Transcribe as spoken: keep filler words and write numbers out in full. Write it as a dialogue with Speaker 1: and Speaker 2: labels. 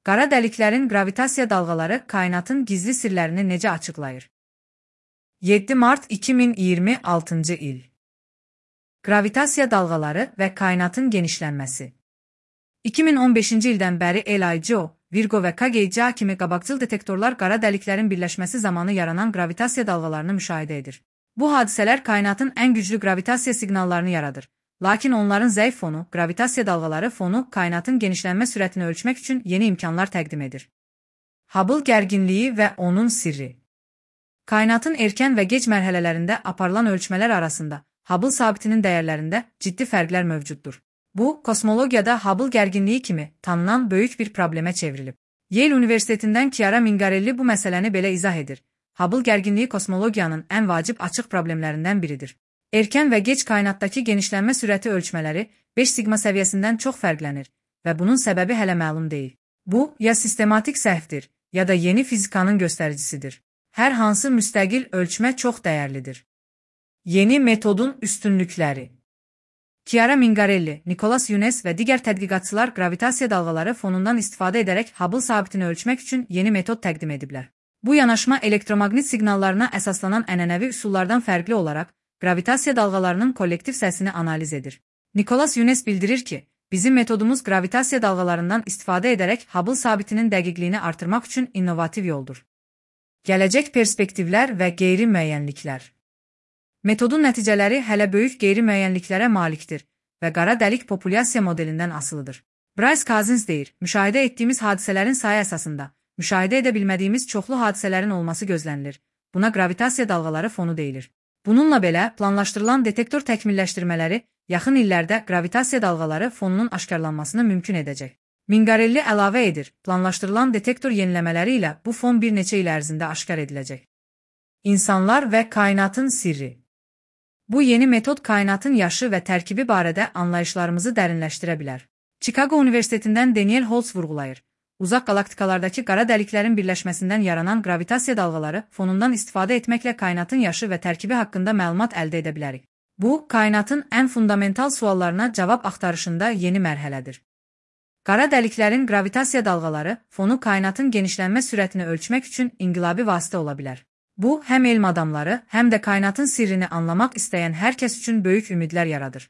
Speaker 1: Qara dəliklərin qravitasiya dalğaları kainatın gizli sirlərini necə açıqlayır? yeddi mart iki min iyirmi altıncı il. Qravitasiya dalğaları və kainatın genişlənməsi. iki min on beşinci ildən bəri LIGO, Virgo və K G C kimi qabaqcıl detektorlar qara dəliklərin birləşməsi zamanı yaranan qravitasiya dalğalarını müşahidə edir. Bu hadisələr kainatın ən güclü qravitasiya siqnallarını yaradır. Lakin onların zəif fonu, qravitasiya dalğaları fonu kainatın genişlənmə sürətini ölçmək üçün yeni imkanlar təqdim edir. Hubble gərginliyi və onun sirri. Kainatın erkən və gec mərhələlərində aparılan ölçmələr arasında Hubble sabitinin dəyərlərində ciddi fərqlər mövcuddur. Bu, kosmologiyada Hubble gərginliyi kimi tanınan böyük bir problemə çevrilib. Yale Universitetindən Chiara Mingarelli bu məsələni belə izah edir. Hubble gərginliyi kosmologiyanın ən vacib açıq problemlərindən biridir. Erkən və gec kainatdakı genişlənmə sürəti ölçmələri beş sigma səviyyəsindən çox fərqlənir və bunun səbəbi hələ məlum deyil. Bu, ya sistematik səhvdir, ya da yeni fizikanın göstəricisidir. Hər hansı müstəqil ölçmə çox dəyərlidir. Yeni metodun üstünlükləri. Chiara Mingarelli, Nicholas Younes və digər tədqiqatçılar qravitasiya dalğaları fonundan istifadə edərək Hubble sabitini ölçmək üçün yeni metod təqdim ediblər. Bu yanaşma elektromaqnit siqnallarına əsaslanan ənənəvi üsullardan fərqli olaraq qravitasiya dalğalarının kollektiv səsini analiz edir. Nicholas Younes bildirir ki, bizim metodumuz qravitasiya dalğalarından istifadə edərək Hubble sabitinin dəqiqliyini artırmaq üçün innovativ yoldur. Gələcək perspektivlər və qeyri-müəyyənliklər. Metodun nəticələri hələ böyük qeyri-müəyyənliklərə malikdir və qara dəlik populyasiya modelindən asılıdır. Bryce Cousins deyir, müşahidə etdiyimiz hadisələrin sayı əsasında, müşahidə edə bilmədiyimiz çoxlu hadisələrin olması gözlənilir. Buna qravitasiya dalğaları fonu deyilir. Bununla belə, planlaşdırılan detektor təkmilləşdirmələri yaxın illərdə qravitasiya dalğaları fonunun aşkarlanmasını mümkün edəcək. Mingarelli əlavə edir, planlaşdırılan detektor yeniləmələri ilə bu fon bir neçə il ərzində aşkar ediləcək. İnsanlar və kainatın sirri. Bu yeni metod kainatın yaşı və tərkibi barədə anlayışlarımızı dərinləşdirə bilər. Chicago Universitetindən Daniel Holtz vurğulayır. Uzaq qalaktikalardakı qara dəliklərin birləşməsindən yaranan qravitasiya dalğaları fonundan istifadə etməklə kainatın yaşı və tərkibi haqqında məlumat əldə edə bilərik. Bu, kainatın ən fundamental suallarına cavab axtarışında yeni mərhələdir. Qara dəliklərin qravitasiya dalğaları fonu kainatın genişlənmə sürətini ölçmək üçün inqilabi vasitə ola bilər. Bu, həm elm adamları, həm də kainatın sirrini anlamaq istəyən hər kəs üçün böyük ümidlər yaradır.